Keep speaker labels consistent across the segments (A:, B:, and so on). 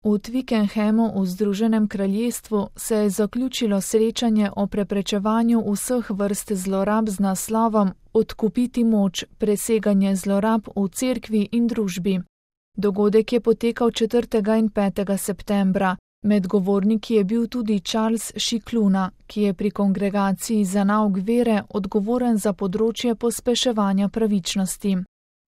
A: V Twickenhamu v Združenem kraljestvu se je zaključilo srečanje o preprečevanju vseh vrst zlorab z naslovom Odkupiti moč, preseganje zlorab v cerkvi in družbi. Dogodek je potekal 4. in 5. septembra. Med govorniki je bil tudi Charles Scicluna, ki je pri kongregaciji za nauk vere odgovoren za področje pospeševanja pravičnosti.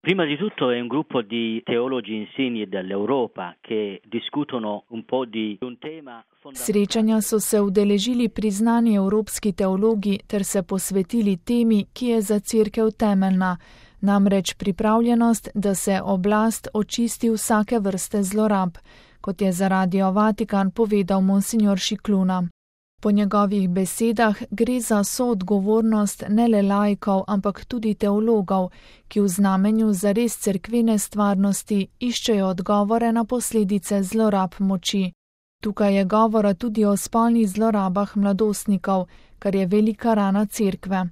B: Prima di tutto è un gruppo di teologi insigni dell'Europa che discutono un po' di un tema fondamentale.
A: Srečanja so se udeležili priznani evropski teologi ter se posvetili temi, ki je za cerkev temeljna, namreč pripravljenost, da se oblast očisti vsake vrste zlorab, kot je za Radio Vatikan povedal monsignor Scicluna. Po njegovih besedah gre za soodgovornost ne le laikov, ampak tudi teologov, ki v znamenju zares cerkvene stvarnosti iščejo odgovore na posledice zlorab moči. Tukaj je govora tudi o spolnih zlorabah mladostnikov, kar je velika rana cerkve.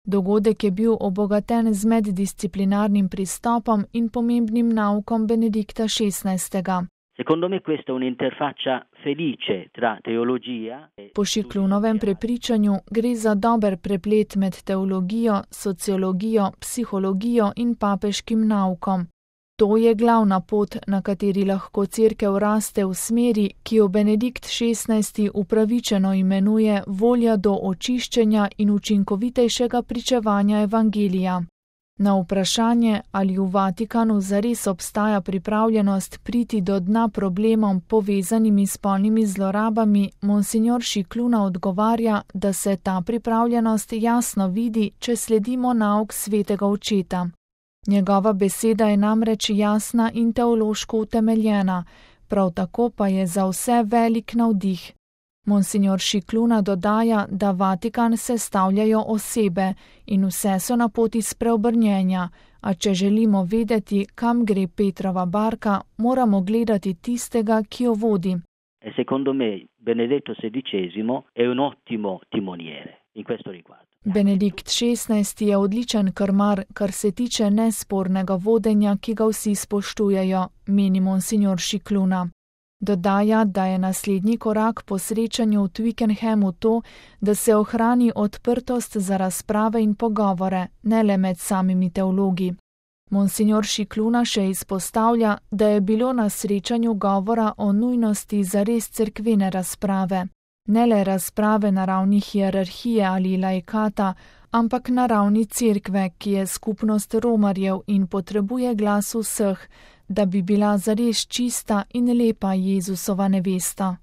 A: Dogodek je bil obogaten z meddisciplinarnim pristopom in pomembnim naukom Benedikta XVI.
B: Secondo me questa è un'interfaccia felice tra teologia e...
A: Po Sciclunovem prepričanju gre za dober preplet med teologijo, sociologijo, psihologijo in papeškim naukom. To je glavna pot, na kateri lahko cerkev raste v smeri, ki jo Benedikt XVI upravičeno imenuje volja do očiščenja in učinkovitejšega pričevanja evangelija. Na vprašanje, ali v Vatikanu zares obstaja pripravljenost priti do dna problemom povezanimi s spolnimi zlorabami, monsignor Scicluna odgovarja, da se ta pripravljenost jasno vidi, če sledimo nauk svetega očeta. Njegova beseda je namreč jasna in teološko utemeljena, prav tako pa je za vse velik navdih. Monsignor Scicluna dodaja, da Vatikan sestavljajo osebe in vse so na poti spreobrnjenja, a če želimo vedeti, kam gre Petrova barka, moramo gledati tistega, ki jo vodi.
B: Secondo me Benedetto XVI è un ottimo timoniere in questo riguardo.
A: Benedikt XVI je odličen krmar, kar se tiče nespornega vodenja, ki ga vsi spoštujejo, meni monsignor Scicluna. Dodaja, da je naslednji korak po srečanju v Twickenhamu to, da se ohrani odprtost za razprave in pogovore, ne le med samimi teologi. Monsignor Scicluna še izpostavlja, da je bilo na srečanju govora o nujnosti zares cerkvene razprave. Ne le razprave na ravni hierarhije ali laikata, ampak na ravni cerkve, ki je skupnost romarjev in potrebuje glas vseh, da bi bila zares čista in lepa Jezusova nevesta.